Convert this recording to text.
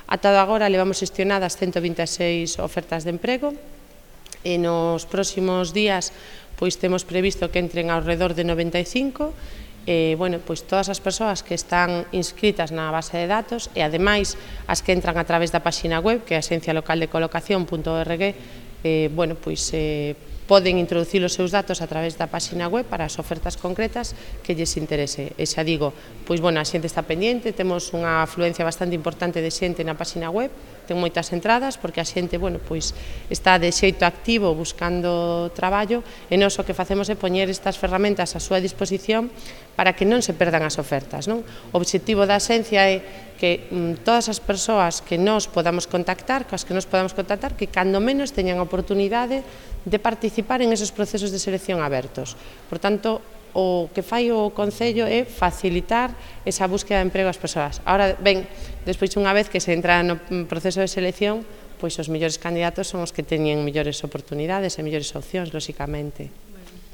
Ata agora levamos xestionadas 126 ofertas de emprego e nos próximos días pois temos previsto que entren ao redor de 95 pois todas as persoas que están inscritas na base de datos e ademais as que entran a través da páxina web que é axencialocaldecolocación.org pois poden introducir os seus datos a través da páxina web para as ofertas concretas que lles interese. E xa digo, pois a xente está pendiente, temos unha afluencia bastante importante de xente na páxina web, ten moitas entradas porque a xente pois está de xeito activo buscando traballo e nós o que facemos é poñer estas ferramentas á súa disposición para que non se perdan as ofertas. O obxectivo da Axencia é que todas as persoas que nos podamos contactar, que cando menos teñan oportunidade de participar en esos procesos de selección abertos. Por tanto, o que fai o Concello é facilitar esa búsqueda de emprego ás persoas. Ahora, ben, despois unha vez que se entra no proceso de selección, pois os mellores candidatos son os que teñen mellores oportunidades e mellores opcións, lóxicamente.